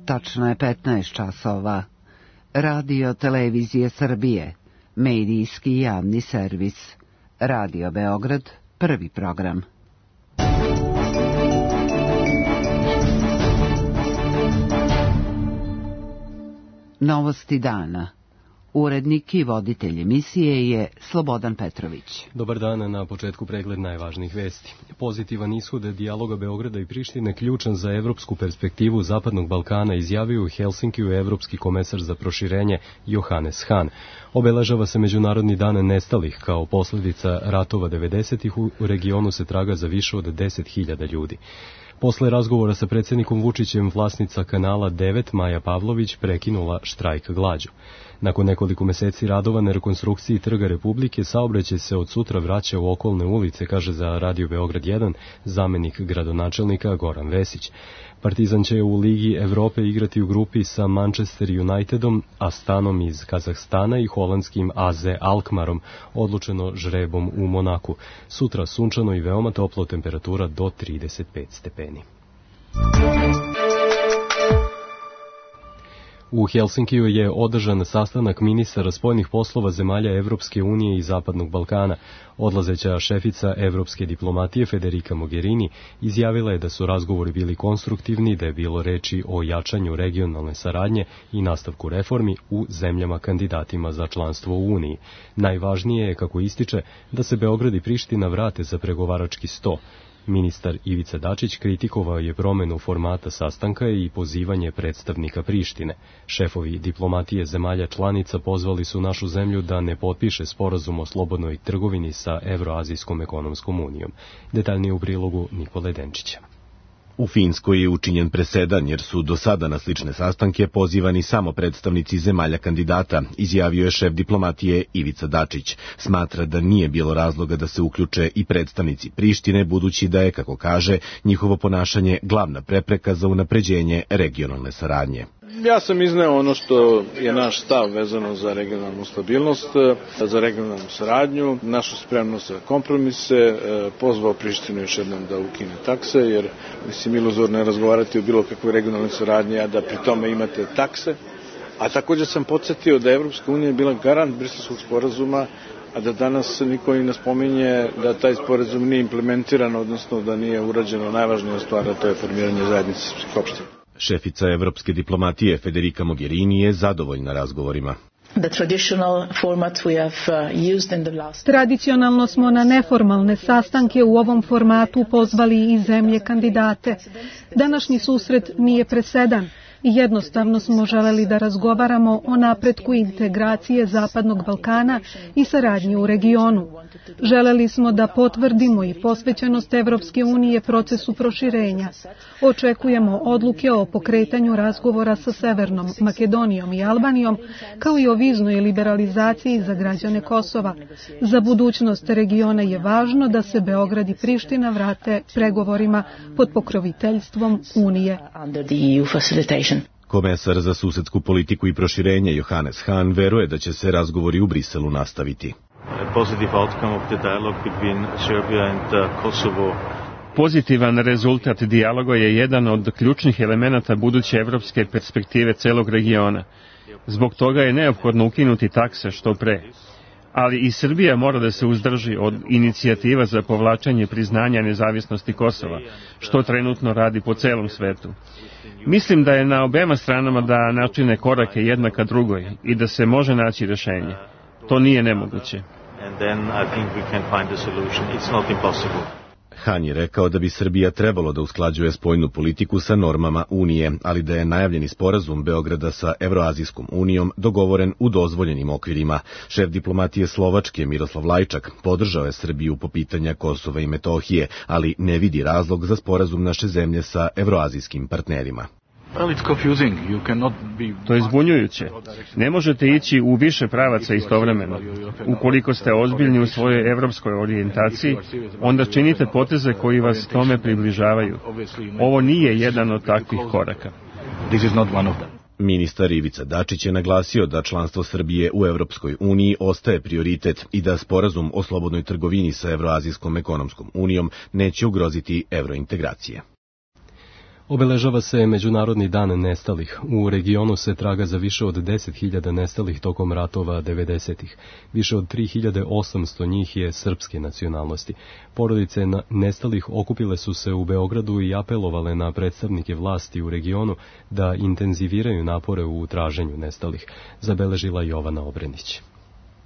Tačno je 15 časova. Radio Televizije Srbije, medijski javni servis. Radio Beograd, prvi program. Novosti dana. Urednik i voditelj emisije je Slobodan Petrović. Dobar dan, na početku pregled najvažnijih vesti. Pozitivan ishod dijaloga Beograda i Prištine ključan za evropsku perspektivu Zapadnog Balkana izjavio u Helsinkiju evropski komesar za proširenje Johannes Hahn. Obeležava se Međunarodni dan nestalih kao posljedica ratova 90-ih u regionu se traga za više od 10.000 ljudi. Posle razgovora sa predsjednikom Vučićem vlasnica kanala 9 Maja Pavlović prekinula štrajk glađu. Nakon nekoliko meseci radova na rekonstrukciji Trga Republike, saobraćaj se od sutra vraća u okolne ulice, kaže za Radio Beograd 1 zamenik gradonačelnika Goran Vesić. Partizan će u Ligi Evrope igrati u grupi sa Manchester Unitedom, Astanom iz Kazahstana i holandskim AZ Alkmarom, odlučeno žrebom u Monaku. Sutra sunčano i veoma toplo, temperatura do 35 stepeni. U Helsinkiju je održan sastanak ministara spoljnih poslova zemalja Evropske unije i Zapadnog Balkana. Odlazeća šefica evropske diplomatije Federica Mogherini izjavila je da su razgovori bili konstruktivni, da je bilo reči o jačanju regionalne saradnje i nastavku reformi u zemljama kandidatima za članstvo u Uniji. Najvažnije je, kako ističe, da se Beograd i Priština vrate za pregovarački sto. Ministar Ivica Dačić kritikovao je promenu formata sastanka i pozivanje predstavnika Prištine. Šefovi diplomatije zemalja članica pozvali su našu zemlju da ne potpiše sporazum o slobodnoj trgovini sa Evroazijskom ekonomskom unijom. Detaljnije u prilogu Nikole Denčića. U Finskoj je učinjen presedan jer su do sada na slične sastanke pozivani samo predstavnici zemalja kandidata, izjavio je šef diplomatije Ivica Dačić. Smatra da nije bilo razloga da se uključe i predstavnici Prištine, budući da je, kako kaže, njihovo ponašanje glavna prepreka za unapređenje regionalne saradnje. Ja sam izneo ono što je naš stav vezano za regionalnu stabilnost, za regionalnu saradnju, našu spremnost za kompromise, pozvao Prištinu još jednom da ukine takse, jer mislim iluzorno je razgovarati o bilo kakvoj regionalnoj saradnji, a da pri tome imate takse. A također sam podsjetio da je Evropska unija bila garant Briselskog sporazuma, a da danas niko i ne spominje da taj sporazum nije implementiran, odnosno da nije urađeno najvažnija stvar, a to je formiranje zajednice srpskih opština. Šefica evropske diplomatije Federica Mogherini je zadovoljna razgovorima. Tradicionalno smo na neformalne sastanke u ovom formatu pozvali i zemlje kandidate. Današnji susret nije presedan. Jednostavno smo želeli da razgovaramo o napretku integracije Zapadnog Balkana i saradnji u regionu. Želeli smo da potvrdimo i posvećenost Evropske unije procesu proširenja. Očekujemo odluke o pokretanju razgovora sa Severnom Makedonijom i Albanijom, kao i o viznoj liberalizaciji za građane Kosova. Za budućnost regiona je važno da se Beograd i Priština vrate pregovorima pod pokroviteljstvom Unije. Komesar za susedsku politiku i proširenje Johannes Hahn veruje da će se razgovori u Briselu nastaviti. Pozitivan rezultat dijaloga je jedan od ključnih elemenata buduće evropske perspektive celog regiona. Zbog toga je neophodno ukinuti takse što pre. Ali i Srbija mora da se uzdrži od inicijativa za povlačenje priznanja nezavisnosti Kosova, što trenutno radi po celom svetu. Mislim da je na obema stranama da načine korake jedna ka drugoj i da se može naći rešenje. To nije nemoguće. Hahn je rekao da bi Srbija trebalo da usklađuje spoljnu politiku sa normama Unije, ali da je najavljeni sporazum Beograda sa Evroazijskom unijom dogovoren u dozvoljenim okvirima. Šef diplomatije Slovačke Miroslav Lajčak podržao je Srbiju po pitanja Kosova i Metohije, ali ne vidi razlog za sporazum naše zemlje sa evroazijskim partnerima. To je zbunjujuće. Ne možete ići u više pravaca istovremeno. Ukoliko ste ozbiljni u svojoj evropskoj orijentaciji, onda činite poteze koji vas tome približavaju. Ovo nije jedan od takvih koraka. Ministar Ivica Dačić je naglasio da članstvo Srbije u Evropskoj uniji ostaje prioritet i da sporazum o slobodnoj trgovini sa Evroazijskom ekonomskom unijom neće ugroziti evrointegracije. Obeležava se Međunarodni dan nestalih. U regionu se traga za više od 10.000 nestalih tokom ratova 90-ih. Više od 3.800 njih je srpske nacionalnosti. Porodice nestalih okupile su se u Beogradu i apelovale na predstavnike vlasti u regionu da intenziviraju napore u traženju nestalih, zabeležila Jovana Obrenić.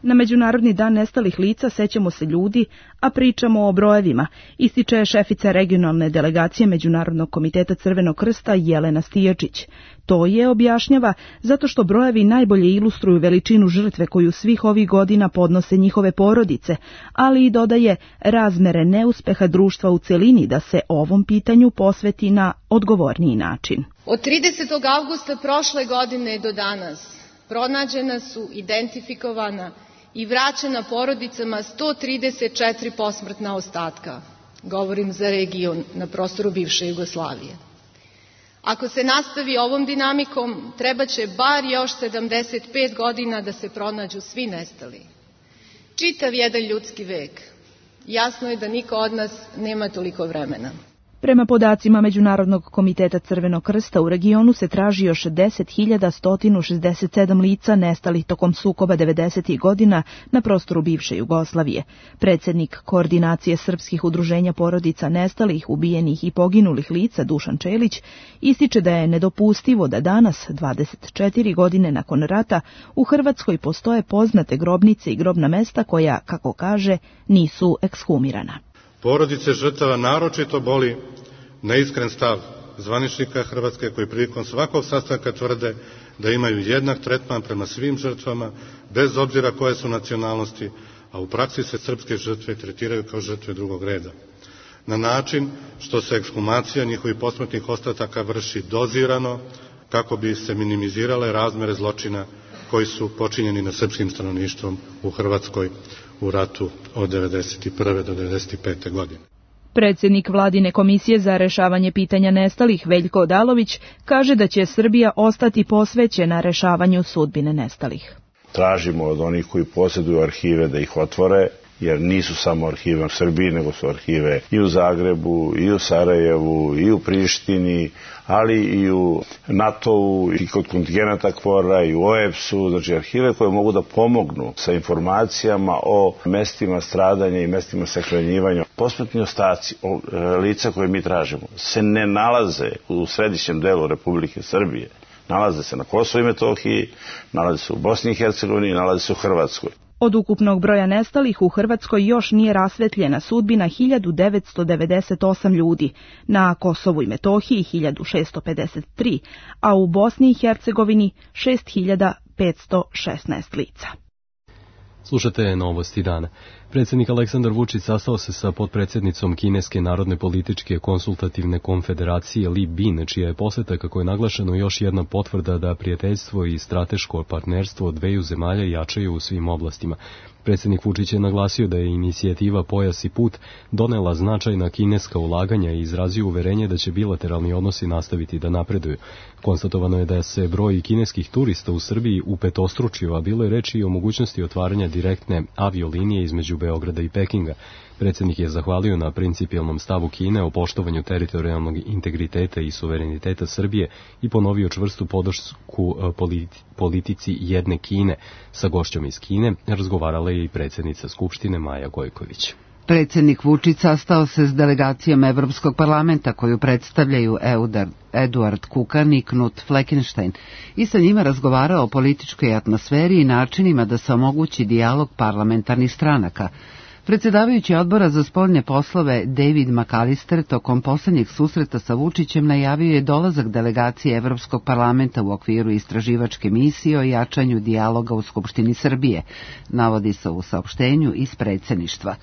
Na Međunarodni dan nestalih lica sećamo se ljudi, a pričamo o brojevima, ističe šefica regionalne delegacije Međunarodnog komiteta Crvenog krsta Jelena Stijačić. To je, objašnjava, zato što brojevi najbolje ilustruju veličinu žrtve koju svih ovih godina podnose njihove porodice, ali i dodaje razmere neuspeha društva u celini da se ovom pitanju posveti na odgovorniji način. Od 30. avgusta prošle godine do danas pronađena su, identifikovana i vraćena porodicama 134 posmrtna ostatka. Govorim za region na prostoru bivše Jugoslavije. Ako se nastavi ovom dinamikom, trebaće bar još 75 godina da se pronađu svi nestali. Čitav jedan ljudski vek. Jasno je da niko od nas nema toliko vremena. Prema podacima Međunarodnog komiteta Crvenog krsta u regionu se traži još 10.167 lica nestalih tokom sukoba 90. godina na prostoru bivše Jugoslavije. Predsjednik Koordinacije srpskih udruženja porodica nestalih, ubijenih i poginulih lica Dušan Čelić ističe da je nedopustivo da danas, 24 godine nakon rata, u Hrvatskoj postoje poznate grobnice i grobna mesta koja, kako kaže, nisu ekshumirana. Porodice žrtava naročito boli neiskren stav zvaničnika Hrvatske koji prilikom svakog sastanka tvrde da imaju jednak tretman prema svim žrtvama, bez obzira koje su nacionalnosti, a u praksi se srpske žrtve tretiraju kao žrtve drugog reda. Na način što se ekshumacija njihovih posmrtnih ostataka vrši dozirano kako bi se minimizirale razmere zločina koji su počinjeni nad srpskim stanovništvom u Hrvatskoj u ratu od 1991. do 1995. godine. Predsjednik Vladine komisije za rešavanje pitanja nestalih Veljko Odalović kaže da će Srbija ostati posvećena rešavanju sudbine nestalih. Tražimo od onih koji posjeduju arhive da ih otvore, jer nisu samo arhive u Srbiji, nego su arhive i u Zagrebu, i u Sarajevu, i u Prištini, ali i u NATO-u, i kod kontingenata KFOR-a, i u OEBS-u, znači arhive koje mogu da pomognu sa informacijama o mestima stradanja i mestima sahranjivanja. Posmrtni ostaci lica koje mi tražimo se ne nalaze u središnjem delu Republike Srbije. Nalaze se na Kosovu i Metohiji, nalaze se u Bosni i Hercegovini, nalaze se u Hrvatskoj. Od ukupnog broja nestalih u Hrvatskoj još nije rasvetljena sudbina 1998 ljudi, na Kosovu i Metohiji 1653, a u Bosni i Hercegovini 6516 lica. Slušate Novosti dana. Predsjednik Aleksandar Vučić sastao se sa potpredsjednicom Kineske narodne političke konsultativne konfederacije Li Bin, čija je poseta, kako je naglašeno, još jedna potvrda da prijateljstvo i strateško partnerstvo dveju zemalja jačaju u svim oblastima. Predsjednik Vučić je naglasio da je inicijativa Pojas i put donela značajna kineska ulaganja i izrazio uverenje da će bilateralni odnosi nastaviti da napreduju. Konstatovano je da se broj kineskih turista u Srbiji upetostručio, a bilo je reči i o mogućnosti otvaranja direktne aviolinije između Beograda i Pekinga. Predsjednik je zahvalio na principijelnom stavu Kine o poštovanju teritorijalnog integriteta i suvereniteta Srbije i ponovio čvrstu podršku politici jedne Kine. Sa gošćom iz Kine razgovarala je i predsjednica Skupštine Maja Gojković. Predsjednik Vučić sastao se s delegacijom Evropskog parlamenta koju predstavljaju Eduard Kukan i Knut Fleckenstein i sa njima razgovarao o političkoj atmosferi i načinima da se omogući dijalog parlamentarnih stranaka. Predsjedavajući odbora za spoljne poslove David McAllister tokom posljednjeg susreta sa Vučićem najavio je dolazak delegacije Evropskog parlamenta u okviru istraživačke misije o jačanju dijaloga u Skupštini Srbije, navodi se u saopštenju iz predsjedništva.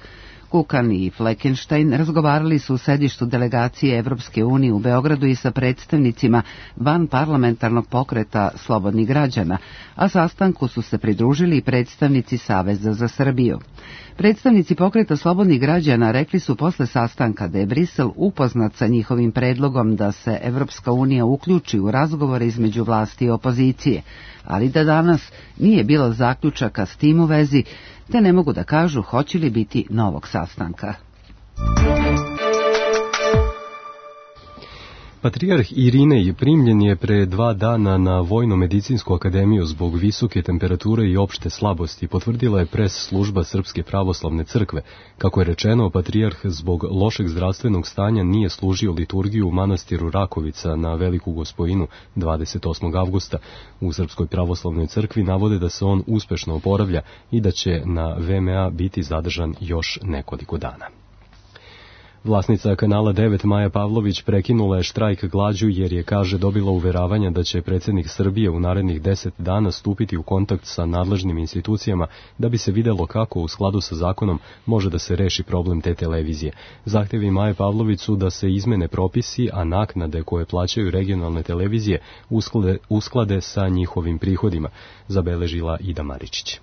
Kukan i Fleckenstein razgovarali su u sedištu delegacije Evropske unije u Beogradu i sa predstavnicima van parlamentarnog pokreta Slobodnih građana, a sastanku su se pridružili i predstavnici Saveza za Srbiju. Predstavnici pokreta Slobodnih građana rekli su posle sastanka da je Brisel upoznat sa njihovim predlogom da se Evropska unija uključi u razgovore između vlasti i opozicije, ali da danas nije bilo zaključaka s tim u vezi, te ne mogu da kažu hoće li biti novog sastanka. Patrijarh Irinej primljen je pre 2 dana na Vojno-medicinsku akademiju zbog visoke temperature i opšte slabosti, potvrdila je pres služba Srpske pravoslavne crkve. Kako je rečeno, patrijarh zbog lošeg zdravstvenog stanja nije služio liturgiju u manastiru Rakovica na Veliku Gospojinu 28. avgusta. U Srpskoj pravoslavnoj crkvi navode da se on uspešno oporavlja i da će na VMA biti zadržan još nekoliko dana. Vlasnica kanala 9 Maja Pavlović prekinula je štrajk glađu jer je, kaže, dobila uveravanja da će predsjednik Srbije u narednih 10 dana stupiti u kontakt sa nadležnim institucijama da bi se videlo kako u skladu sa zakonom može da se reši problem te televizije. Zahtevi Maje Pavlović su da se izmene propisi, a naknade koje plaćaju regionalne televizije usklade sa njihovim prihodima, zabeležila Ida Maričić.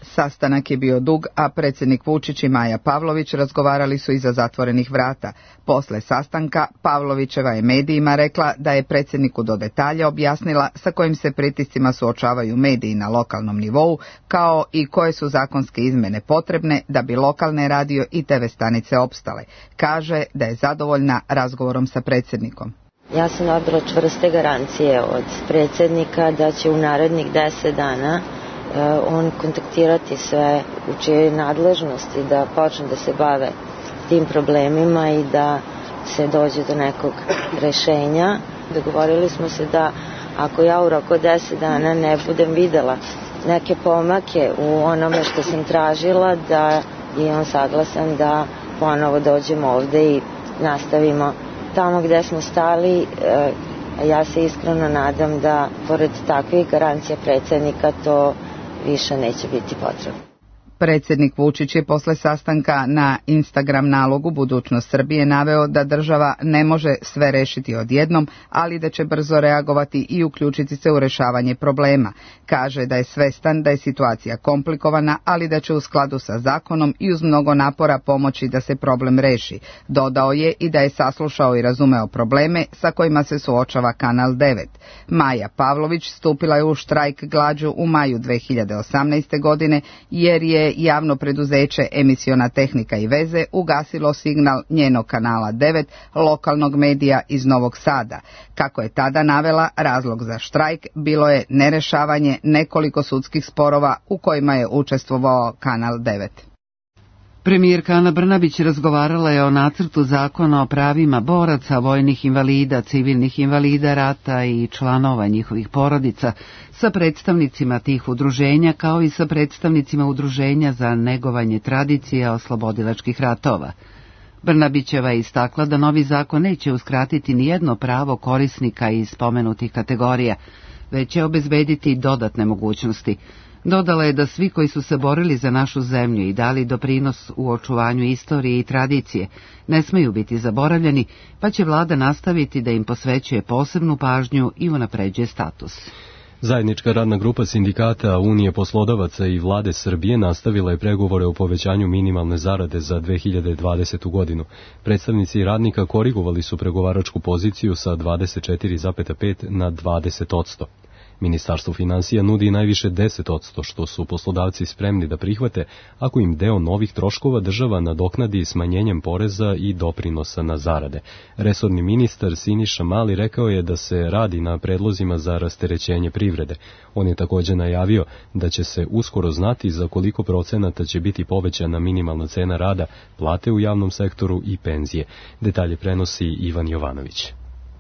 Sastanak je bio dug, a predsjednik Vučić i Maja Pavlović razgovarali su iza zatvorenih vrata. Posle sastanka Pavlovićeva je medijima rekla da je predsjedniku do detalja objasnila sa kojim se pritiscima suočavaju mediji na lokalnom nivou, kao i koje su zakonske izmene potrebne da bi lokalne radio i TV stanice opstale. Kaže da je zadovoljna razgovorom sa predsjednikom. Ja sam dobila čvrste garancije od predsjednika da će u narednih 10 dana on kontaktirati sve u čijoj nadležnosti da počne da se bave tim problemima i da se dođe do nekog rešenja. Dogovorili smo se da ako ja u roku 10 dana ne budem videla neke pomake u onome što sam tražila, da je on saglasan da ponovo dođemo ovde i nastavimo tamo gde smo stali. Ja se iskreno nadam da pored takvih garancija predsjednika to više neće biti potrebno. Predsjednik Vučić je posle sastanka na Instagram nalogu Budućnost Srbije naveo da država ne može sve rešiti odjednom, ali da će brzo reagovati i uključiti se u rešavanje problema. Kaže da je svestan da je situacija komplikovana, ali da će u skladu sa zakonom i uz mnogo napora pomoći da se problem reši. Dodao je i da je saslušao i razumeo probleme sa kojima se suočava Kanal 9. Maja Pavlović stupila je u štrajk glađu u maju 2018. godine jer je javno preduzeće Emisiona tehnika i veze ugasilo signal njenog kanala 9, lokalnog medija iz Novog Sada. Kako je tada navela, razlog za štrajk bilo je nerešavanje nekoliko sudskih sporova u kojima je učestvovao Kanal 9. Premijerka Ana Brnabić razgovarala je o nacrtu zakona o pravima boraca, vojnih invalida, civilnih invalida rata i članova njihovih porodica sa predstavnicima tih udruženja kao i sa predstavnicima udruženja za negovanje tradicije oslobodilačkih ratova. Brnabićeva je istakla da novi zakon neće uskratiti nijedno pravo korisnika iz spomenutih kategorija, već će obezbediti dodatne mogućnosti. Dodala je da svi koji su se borili za našu zemlju i dali doprinos u očuvanju istorije i tradicije ne smeju biti zaboravljeni, pa će vlada nastaviti da im posvećuje posebnu pažnju i unapređuje status. Zajednička radna grupa sindikata Unije poslodavaca i vlade Srbije nastavila je pregovore o povećanju minimalne zarade za 2020. godinu. Predstavnici radnika korigovali su pregovaračku poziciju sa 24,5 na 20%. Ministarstvo finansija nudi najviše 10%, što su poslodavci spremni da prihvate ako im deo novih troškova država nadoknadi smanjenjem poreza i doprinosa na zarade. Resorni ministar Siniša Mali rekao je da se radi na predlozima za rasterećenje privrede. On je također najavio da će se uskoro znati za koliko procenata će biti povećana minimalna cena rada, plate u javnom sektoru i penzije. Detalje prenosi Ivan Jovanović.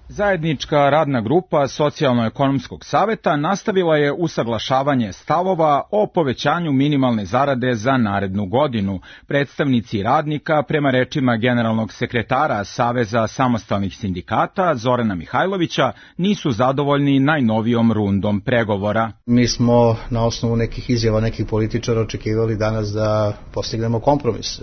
Zajednička radna grupa Socijalno-ekonomskog saveta nastavila je usaglašavanje stavova o povećanju minimalne zarade za narednu godinu. Predstavnici radnika, prema rečima generalnog sekretara Saveza samostalnih sindikata Zorana Mihajlovića, nisu zadovoljni najnovijom rundom pregovora. Mi smo na osnovu nekih izjava nekih političara očekivali danas da postignemo kompromis.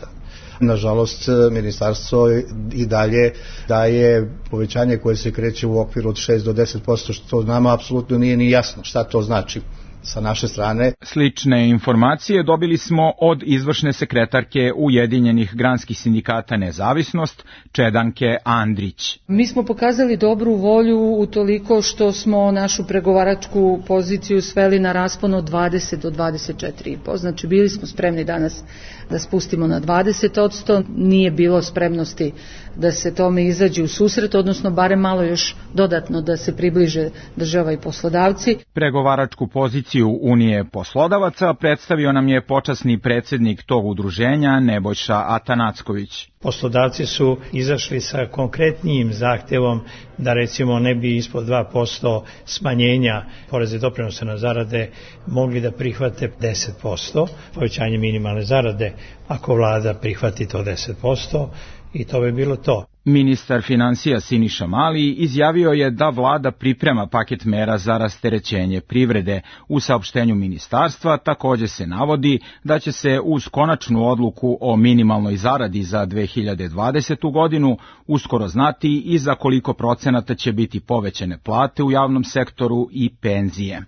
Nažalost, ministarstvo i dalje daje povećanje koje se kreće u okviru od 6 do 10%, što nama apsolutno nije ni jasno šta to znači sa naše strane. Slične informacije dobili smo od izvršne sekretarke Ujedinjenih granskih sindikata Nezavisnost, Čedanke Andrić. Mi smo pokazali dobru volju utoliko što smo našu pregovaračku poziciju sveli na raspon od 20 do 24,5. Znači bili smo spremni danas da spustimo na 20%, nije bilo spremnosti da se tome izađe u susret, odnosno barem malo još dodatno da se približe država i poslodavci. Pregovaračku poziciju Unije poslodavaca predstavio nam je počasni predsjednik tog udruženja Nebojša Atanacković. Poslodavci su izašli sa konkretnijim zahtjevom da recimo ne bi ispod 2% smanjenja poreza i doprinosa na zarade mogli da prihvate 10%, povećanje minimalne zarade ako vlada prihvati to 10% i to bi bilo to. Ministar financija Siniša Mali izjavio je da vlada priprema paket mera za rasterećenje privrede. U saopštenju ministarstva također se navodi da će se uz konačnu odluku o minimalnoj zaradi za 2020. godinu uskoro znati i za koliko procenata će biti povećane plate u javnom sektoru i penzije.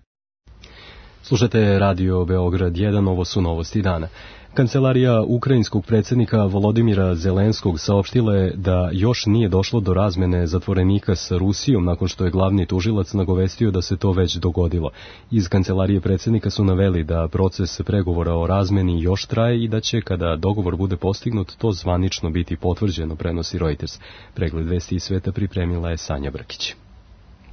Slušajte Radio Beograd 1, ovo su novosti dana. Kancelarija ukrajinskog predsjednika Volodimira Zelenskog saopštila je da još nije došlo do razmene zatvorenika sa Rusijom nakon što je glavni tužilac nagovestio da se to već dogodilo. Iz kancelarije predsjednika su naveli da proces pregovora o razmeni još traje i da će, kada dogovor bude postignut, to zvanično biti potvrđeno, prenosi Reuters. Pregled vesti iz sveta pripremila je Sanja Brkić.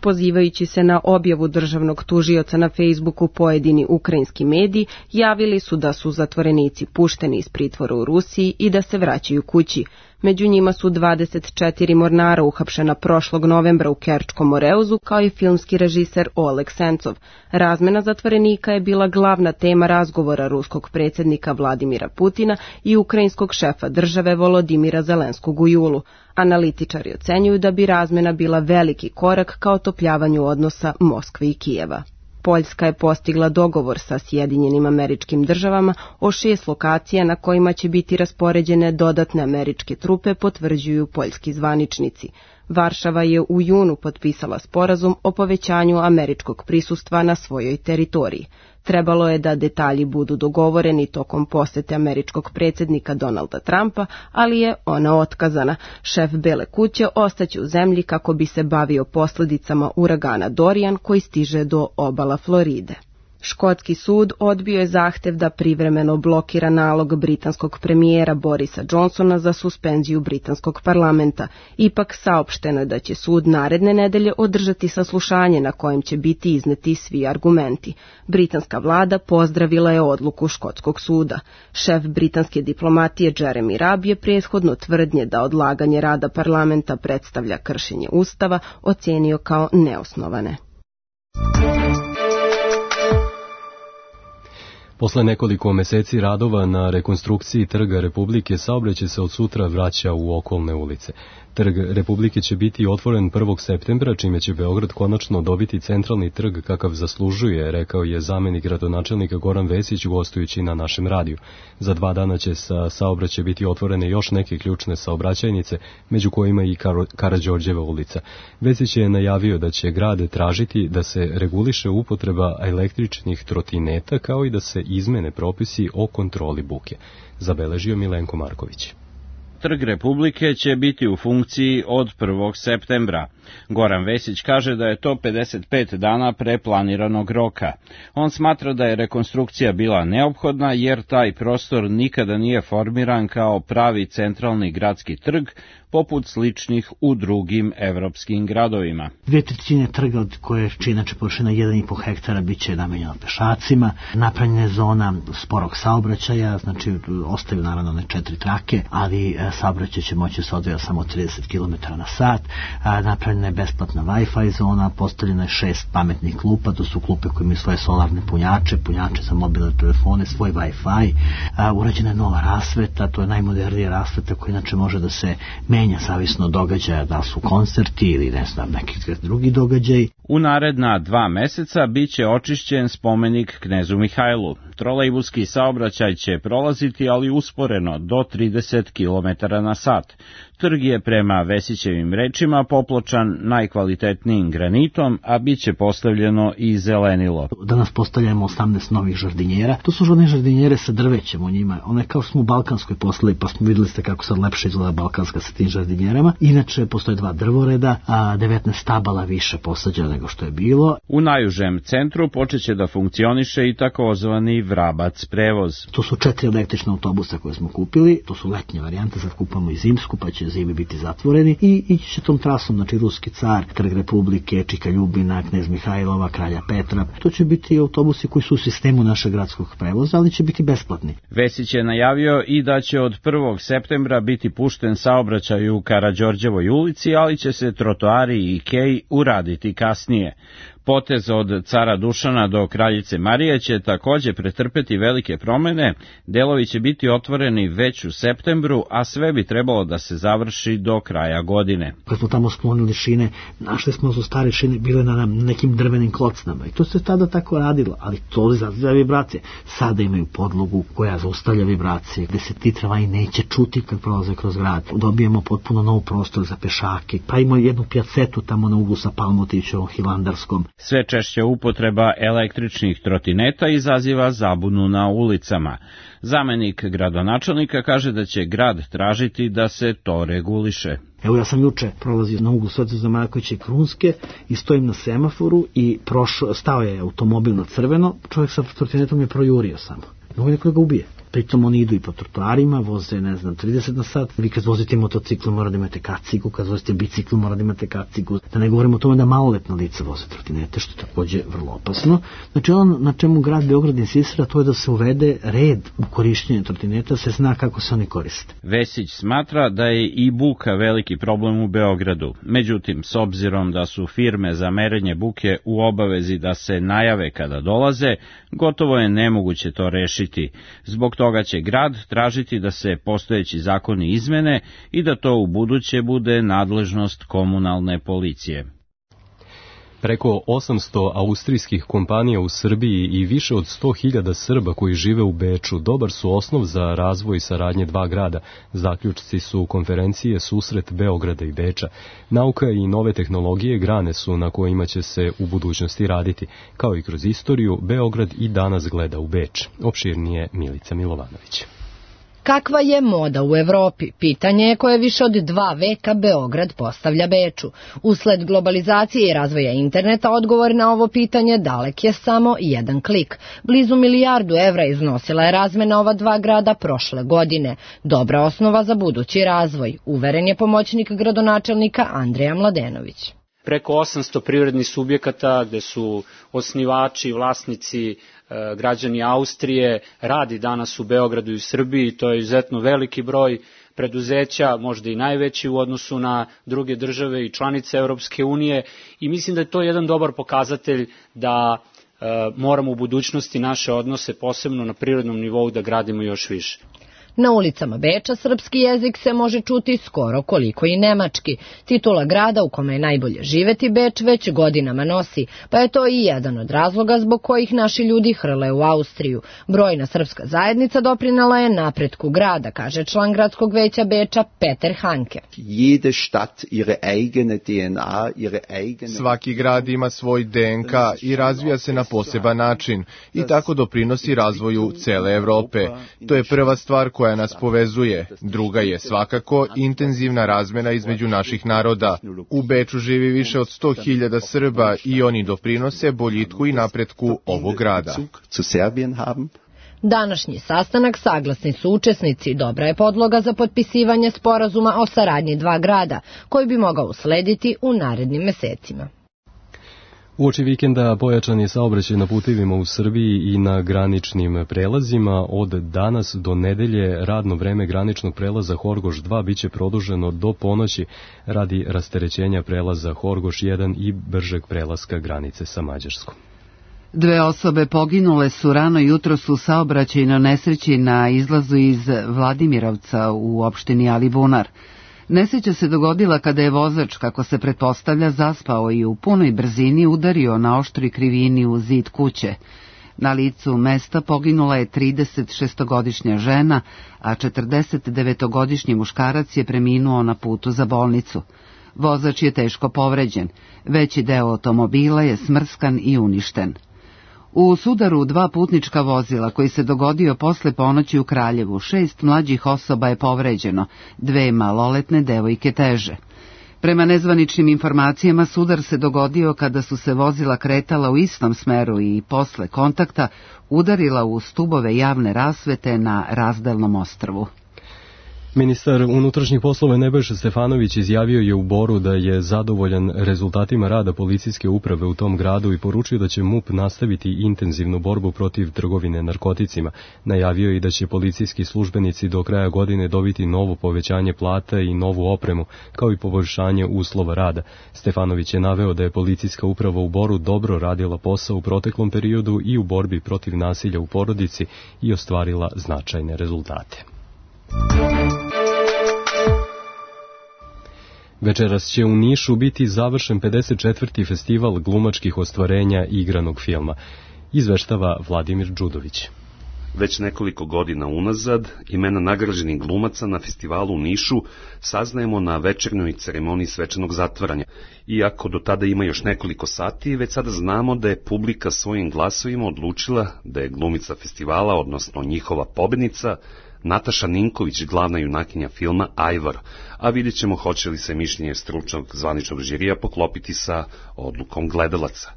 Pozivajući se na objavu državnog tužioca na Facebooku, pojedini ukrajinski mediji javili su da su zatvorenici pušteni iz pritvora u Rusiji i da se vraćaju kući. Među njima su 24 mornara uhapšena prošlog novembra u Kerčkom Moreuzu, kao i filmski režiser Oleg Sencov. Razmena zatvorenika je bila glavna tema razgovora ruskog predsjednika Vladimira Putina i ukrajinskog šefa države Volodimira Zelenskog u julu. Analitičari ocenjuju da bi razmena bila veliki korak ka otopljavanju odnosa Moskve i Kijeva. Poljska je postigla dogovor sa Sjedinjenim Američkim Državama o 6 lokacija na kojima će biti raspoređene dodatne američke trupe, potvrđuju poljski zvaničnici. Varšava je u junu potpisala sporazum o povećanju američkog prisustva na svojoj teritoriji. Trebalo je da detalji budu dogovoreni tokom posete američkog predsjednika Donalda Trumpa, ali je ona otkazana. Šef Bele kuće ostaće u zemlji kako bi se bavio posljedicama uragana Dorian koji stiže do obala Floride. Škotski sud odbio je zahtev da privremeno blokira nalog britanskog premijera Borisa Johnsona za suspenziju britanskog parlamenta. Ipak saopšteno je da će sud naredne nedelje održati saslušanje na kojem će biti izneti svi argumenti. Britanska vlada pozdravila je odluku škotskog suda. Šef britanske diplomatije Jeremy Rabb je prethodno tvrdnje da odlaganje rada parlamenta predstavlja kršenje ustava ocijenio kao neosnovane. Posle nekoliko meseci radova na rekonstrukciji Trga Republike, saobraćaj se od sutra vraća u okolne ulice. Trg Republike će biti otvoren 1. septembra, čime će Beograd konačno dobiti centralni trg kakav zaslužuje, rekao je zamenik gradonačelnika Goran Vesić gostujući na našem radiju. Za 2 dana će sa saobraćaja biti otvorene još neke ključne saobraćajnice, među kojima i Karađorđeva ulica. Vesić je najavio da će grad tražiti da se reguliše upotreba električnih trotineta, kao i da se izmene propisi o kontroli buke. Zabeležio Milenko Marković. Trg Republike će biti u funkciji od 1. septembra. Goran Vesić kaže da je to 55 dana pre planiranog roka. On smatra da je rekonstrukcija bila neophodna jer taj prostor nikada nije formiran kao pravi centralni gradski trg, poput sličnih u drugim evropskim gradovima. 2/3 trga, od koje čini inače površina 1,5 hektara, bit će namenjeno pešacima, napravljena je zona sporog saobraćaja, znači ostaju naravno one 4 trake, ali saobraćaj će moći se odvijati samo 30 km na sat, napravljena je besplatna Wi-Fi zona, postavljeno je 6 pametnih klupa, to su klupe koje imaju svoje solarne punjače za mobilne telefone, svoj Wi-Fi, urađena je nova rasveta, to je najmodernija rasveta koja inače može da se menja zavisno od događaja, da su koncerti ili ne znam neki drugi događaj. U naredna 2 meseca bit će očišćen spomenik knezu Mihajlu. Trolejbuski saobraćaj će prolaziti, ali usporeno, do 30 km na sat. Trg je prema Vesićevim rečima popločan najkvalitetnijim granitom, a bit će postavljeno i zelenilo. Danas postavljamo 18 novih žardinjera. To su one žardinjere sa drvećem u njima. One kao smo u Balkanskoj poslali, pa smo vidjeli ste kako sad lepše izgleda Balkanska sa tim žardinjerama. Inače, postoje 2 drvoreda, a 19 stabala više posađeno nego što je bilo. U najužem centru počeće da funkcioniše i takozvani Vrabac prevoz. To su 4 električna autobusa koje smo kupili, to su letnje varijante, sad kupamo i zimsku, pa će zimi biti zatvoreni i ići će tom trasom, znači Ruski car, Trg Republike, Čika Ljubina, Knez Mihajlova, Kralja Petra. To će biti autobusi koji su u sistemu našeg gradskog prevoza, ali će biti besplatni. Vesić je najavio i da će od 1. septembra biti pušten saobraćaj u Karađorđevoj ulici, ali će se trotoari i kej uraditi kasnije. Potez od Cara Dušana do Kraljice Marije će takođe pretrpeti velike promene, delovi će biti otvoreni već u septembru, a sve bi trebalo da se završi do kraja godine. Kad smo tamo sklonili šine, našli smo su stare šine bile na nekim drvenim klocnama i to se tada tako radilo, ali to izaziva vibracije. Sada imaju podlogu koja zaustavlja vibracije, gde se ti tramvaji neće čuti kad prolaze kroz grad. Dobijemo potpuno nov prostor za pešake, pa imamo jednu pjacetu tamo na uglu sa Palmotićevom, Hilandarskom. Sve češća upotreba električnih trotineta izaziva zabunu na ulicama. Zamenik gradonačelnika kaže da će grad tražiti da se to reguliše. Evo ja sam juče prolazio na uglu Svetozar Markovića i Krunske i stojim na semaforu i stao je automobil na crveno, čovjek sa trotinetom je projurio samo. Mogu neko da ga ubije. Pritom oni idu i po trotoarima, voze, 30 na sat. Vi kad vozite motocikl mora da imate kacigu, kad vozite bicikl mora da imate kacigu. Da ne govorimo o tome da maloletna lica voze trotinete, što je takođe vrlo opasno. Znači ono na čemu grad Beograd insistira, to je da se uvede red u korišćenju trotineta, se zna kako se oni koriste. Vesić smatra da je i buka veliki problem u Beogradu. Međutim, s obzirom da su firme za merenje buke u obavezi da se najave kada dolaze, gotovo je nemoguće to rešiti. Zbog toga će grad tražiti da se postojeći zakoni izmene i da to u buduće bude nadležnost komunalne policije. Preko 800 austrijskih kompanija u Srbiji i više od 100.000 Srba koji žive u Beču dobar su osnov za razvoj saradnje dva grada. Zaključci su konferencije Susret Beograda i Beča. Nauka i nove tehnologije grane su na kojima će se u budućnosti raditi. Kao i kroz istoriju, Beograd i danas gleda u Beč. Opširnije Milica Milovanović. Kakva je moda u Evropi? Pitanje je koje više od 2 veka Beograd postavlja Beču. Usled globalizacije i razvoja interneta odgovor na ovo pitanje dalek je samo jedan klik. Blizu 1 milijardu evra iznosila je razmena ova dva grada prošle godine. Dobra osnova za budući razvoj, uveren je pomoćnik gradonačelnika Andreja Mladenović. Preko 800 privrednih subjekata gde su osnivači, vlasnici, građani Austrije, radi danas u Beogradu i u Srbiji, to je izuzetno veliki broj preduzeća, možda i najveći u odnosu na druge države i članice Europske unije i mislim da je to jedan dobar pokazatelj da moramo u budućnosti naše odnose, posebno na prirodnom nivou, da gradimo još više. Na ulicama Beča srpski jezik se može čuti skoro koliko i nemački. Titula grada u kome je najbolje živeti Beč već godinama nosi, pa je to i jedan od razloga zbog kojih naši ljudi hrle u Austriju. Brojna srpska zajednica doprinela je napretku grada, kaže član gradskog veća Beča Peter Hanke. Svaki grad ima svoj DNK i razvija se na poseban način i tako doprinosi razvoju cele Evrope. To je prva stvar koja nas povezuje. Druga je svakako intenzivna razmena između naših naroda. U Beču živi više od 100.000 Srba i oni doprinose boljitku i napretku ovog grada. Današnji sastanak, saglasni su učesnici, dobra je podloga za potpisivanje sporazuma o saradnji dva grada, koji bi mogao uslediti u narednim mesecima. Uoči vikenda pojačan je saobraćaj na putevima u Srbiji i na graničnim prelazima. Od danas do nedelje radno vreme graničnog prelaza Horgoš 2 biće produženo do ponoći radi rasterećenja prelaza Horgoš 1 i bržeg prelaska granice sa Mađarskom. 2 osobe poginule su rano jutros u saobraćajnoj nesreći na izlazu iz Vladimirovca u opštini Alibunar. Nesreća se dogodila kada je vozač, kako se pretpostavlja, zaspao i u punoj brzini udario na oštri krivini u zid kuće. Na licu mesta poginula je 36-godišnja žena, a 49-godišnji muškarac je preminuo na putu za bolnicu. Vozač je teško povređen. Veći deo automobila je smrskan i uništen. U sudaru 2 putnička vozila koji se dogodio posle ponoći u Kraljevu, 6 mlađih osoba je povređeno, 2 maloletne devojke teže. Prema nezvaničnim informacijama, sudar se dogodio kada su se vozila kretala u istom smeru i posle kontakta udarila u stubove javne rasvete na Razdelnom ostrvu. Ministar unutrašnjih poslova Nebojša Stefanović izjavio je u Boru da je zadovoljan rezultatima rada policijske uprave u tom gradu i poručio da će MUP nastaviti intenzivnu borbu protiv trgovine narkoticima. Najavio je i da će policijski službenici do kraja godine dobiti novo povećanje plata i novu opremu, kao i poboljšanje uslova rada. Stefanović je naveo da je policijska uprava u Boru dobro radila posao u proteklom periodu i u borbi protiv nasilja u porodici i ostvarila značajne rezultate. Večeras će u Nišu biti završen 54. festival glumačkih ostvarenja igranog filma, izveštava Vladimir Đudović. Već nekoliko godina unazad imena nagrađenih glumaca na festivalu u Nišu saznajemo na večernjoj ceremoniji svečanog zatvaranja. Iako do tada ima još nekoliko sati, već sada znamo da je publika svojim glasovima odlučila da je glumica festivala, odnosno njihova pobednica, Nataša Ninković, glavna junakinja filma Ajvar, a vidjet ćemo hoće li se mišljenje stručnog zvaničnog žirija poklopiti sa odlukom gledalaca.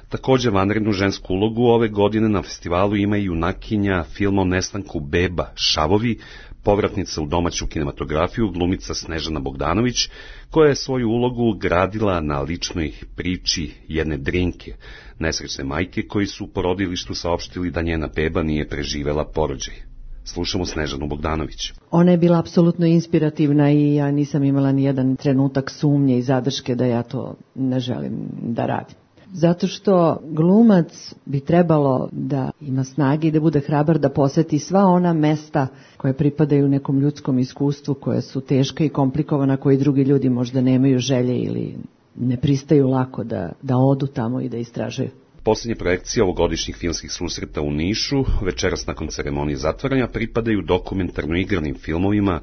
Također vanrednu žensku ulogu ove godine na festivalu ima i junakinja filma o nestanku beba Šavovi, povratnica u domaću kinematografiju, glumica Snežana Bogdanović, koja je svoju ulogu gradila na ličnoj priči jedne Drinke, nesrećne majke koji su u porodilištu saopštili da njena beba nije preživela porođaj. Slušamo Snežanu Bogdanović. Ona je bila apsolutno inspirativna i ja nisam imala ni jedan trenutak sumnje i zadrške da ja to ne želim da radim. Zato što glumac bi trebalo da ima snage i da bude hrabar da poseti sva ona mesta koje pripadaju nekom ljudskom iskustvu, koje su teška i komplikovana, koji drugi ljudi možda nemaju želje ili ne pristaju lako da odu tamo i da istražuju. Posljednje projekcije ovogodišnjih filmskih susreta u Nišu, večeras nakon ceremonije zatvaranja, pripadaju dokumentarno igranim filmovima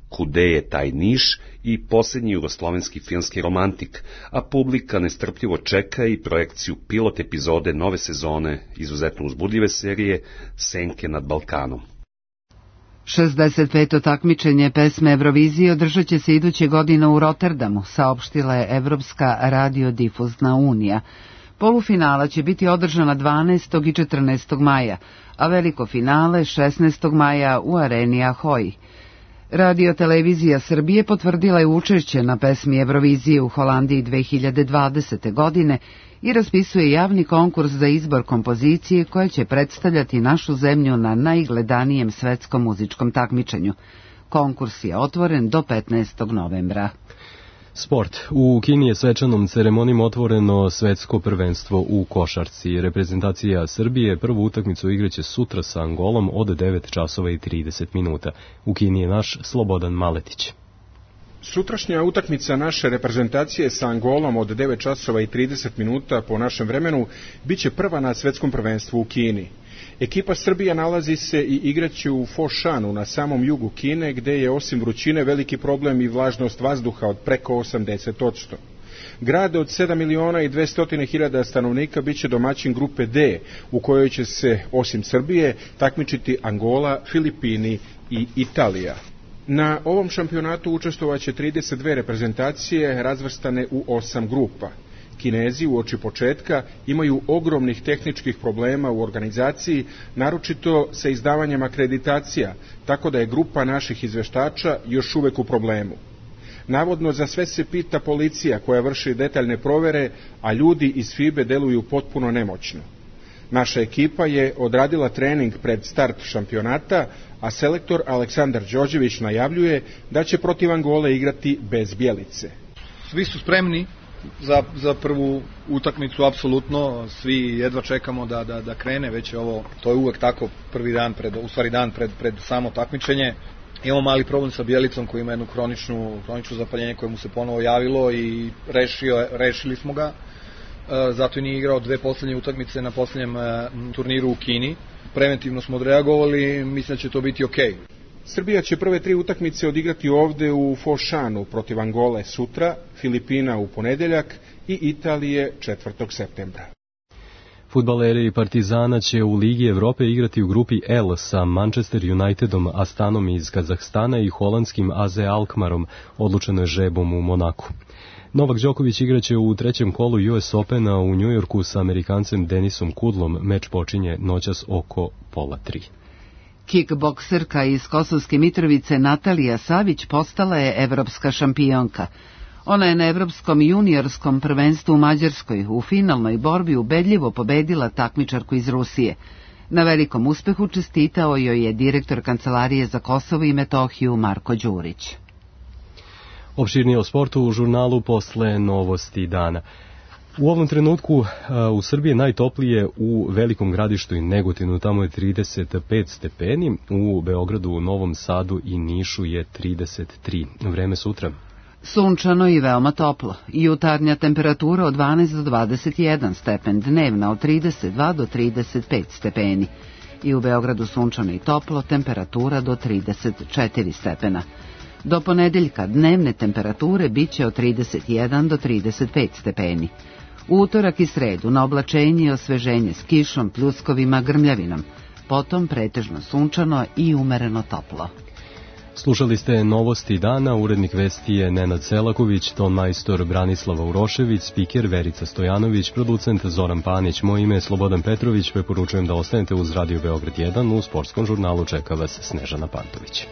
Kude je taj Niš i posljednji jugoslovenski filmski romantik, a publika nestrpljivo čeka i projekciju pilot epizode nove sezone izuzetno uzbudljive serije Senke nad Balkanom. 65. takmičenje pesme Eurovizije održat će se iduće godine u Rotterdamu, saopštila je Evropska radiodifuzna unija. Polufinala će biti održana 12. i 14. maja, a veliko finale 16. maja u areni Ahoy. Radio-televizija Srbije potvrdila je učešće na pesmi Eurovizije u Holandiji 2020. godine i raspisuje javni konkurs za izbor kompozicije koja će predstavljati našu zemlju na najgledanijem svetskom muzičkom takmičenju. Konkurs je otvoren do 15. novembra. Sport. U Kini je svečanom ceremonijom otvoreno svetsko prvenstvo u košarci. Reprezentacija Srbije prvu utakmicu igraće sutra sa Angolom od 9 časova i 30 minuta. U Kini je naš Slobodan Maletić. Sutrašnja utakmica naše reprezentacije sa Angolom od 9 časova i 30 minuta po našem vremenu biće prva na svetskom prvenstvu u Kini. Ekipa Srbija nalazi se i igraće u Foshanu na samom jugu Kine, gde je osim vrućine veliki problem i vlažnost vazduha od preko 80%. Grad od 7.200.000 stanovnika biće domaćin grupe D, u kojoj će se, osim Srbije, takmičiti Angola, Filipini i Italija. Na ovom šampionatu učestvovaće 32 reprezentacije razvrstane u 8 grupa. Kinezi uoči početka imaju ogromnih tehničkih problema u organizaciji, naročito sa izdavanjem akreditacija, tako da je grupa naših izveštača još uvek u problemu. Navodno za sve se pita policija koja vrši detaljne provere, a ljudi iz FIBE deluju potpuno nemoćno. Naša ekipa je odradila trening pred start šampionata, a selektor Aleksandar Đorđević najavljuje da će protiv Angole igrati bez Bjelice. Svi su spremni za prvu utakmicu, apsolutno, svi jedva čekamo da krene, već je ovo, to je uvek tako, prvi dan dan pred samo takmičenje. Imamo mali problem sa Bjelicom koji ima jednu hroničnu zapaljenje koje mu se ponovo javilo i rešili smo ga, zato i nije igrao 2 poslednje utakmice na poslednjem turniru u Kini. Preventivno smo odreagovali, mislim da će to biti okej. Srbija će prve 3 utakmice odigrati ovde u Foshanu protiv Angole sutra, Filipina u ponedeljak i Italije 4. septembra. Fudbaleri Partizana će u Ligi Evrope igrati u grupi L sa Manchester Unitedom, Astanom iz Kazahstana i holandskim AZ Alkmarom, odlučeno je žrebom u Monaku. Novak Đoković igraće u trećem kolu US Opena u Njujorku sa Amerikancem Denisom Kudlom. Meč počinje noćas oko 2:30. Kickbokserka iz Kosovske Mitrovice Natalija Savić postala je evropska šampionka. Ona je na evropskom juniorskom prvenstvu u Mađarskoj u finalnoj borbi ubedljivo pobedila takmičarku iz Rusije. Na velikom uspehu čestitao joj je direktor Kancelarije za Kosovo i Metohiju Marko Đurić. Opširnije o sportu u žurnalu posle novosti dana. U ovom trenutku u Srbiji najtoplije u Velikom Gradištu i Negotinu, tamo je 35 stepeni, u Beogradu, Novom Sadu i Nišu je 33. Vreme sutra. Sunčano i veoma toplo. Jutarnja temperatura od 12 do 21 stepen, dnevna od 32 do 35 stepeni. I u Beogradu sunčano i toplo, temperatura do 34 stepena. Do ponedeljka dnevne temperature biće od 31 do 35 stepeni. U utorak i sredu na oblačenje i osveženje s kišom, pljuskovima, grmljavinom. Potom pretežno sunčano i umereno toplo. Slušali ste novosti dana, urednik vesti je Nenad Selaković, ton majstor Branislava Urošević, spiker Verica Stojanović, producent Zoran Panić, moje ime je Slobodan Petrović, preporučujem da ostanete uz Radio Beograd 1, u sportskom žurnalu čeka vas Snežana Pantović.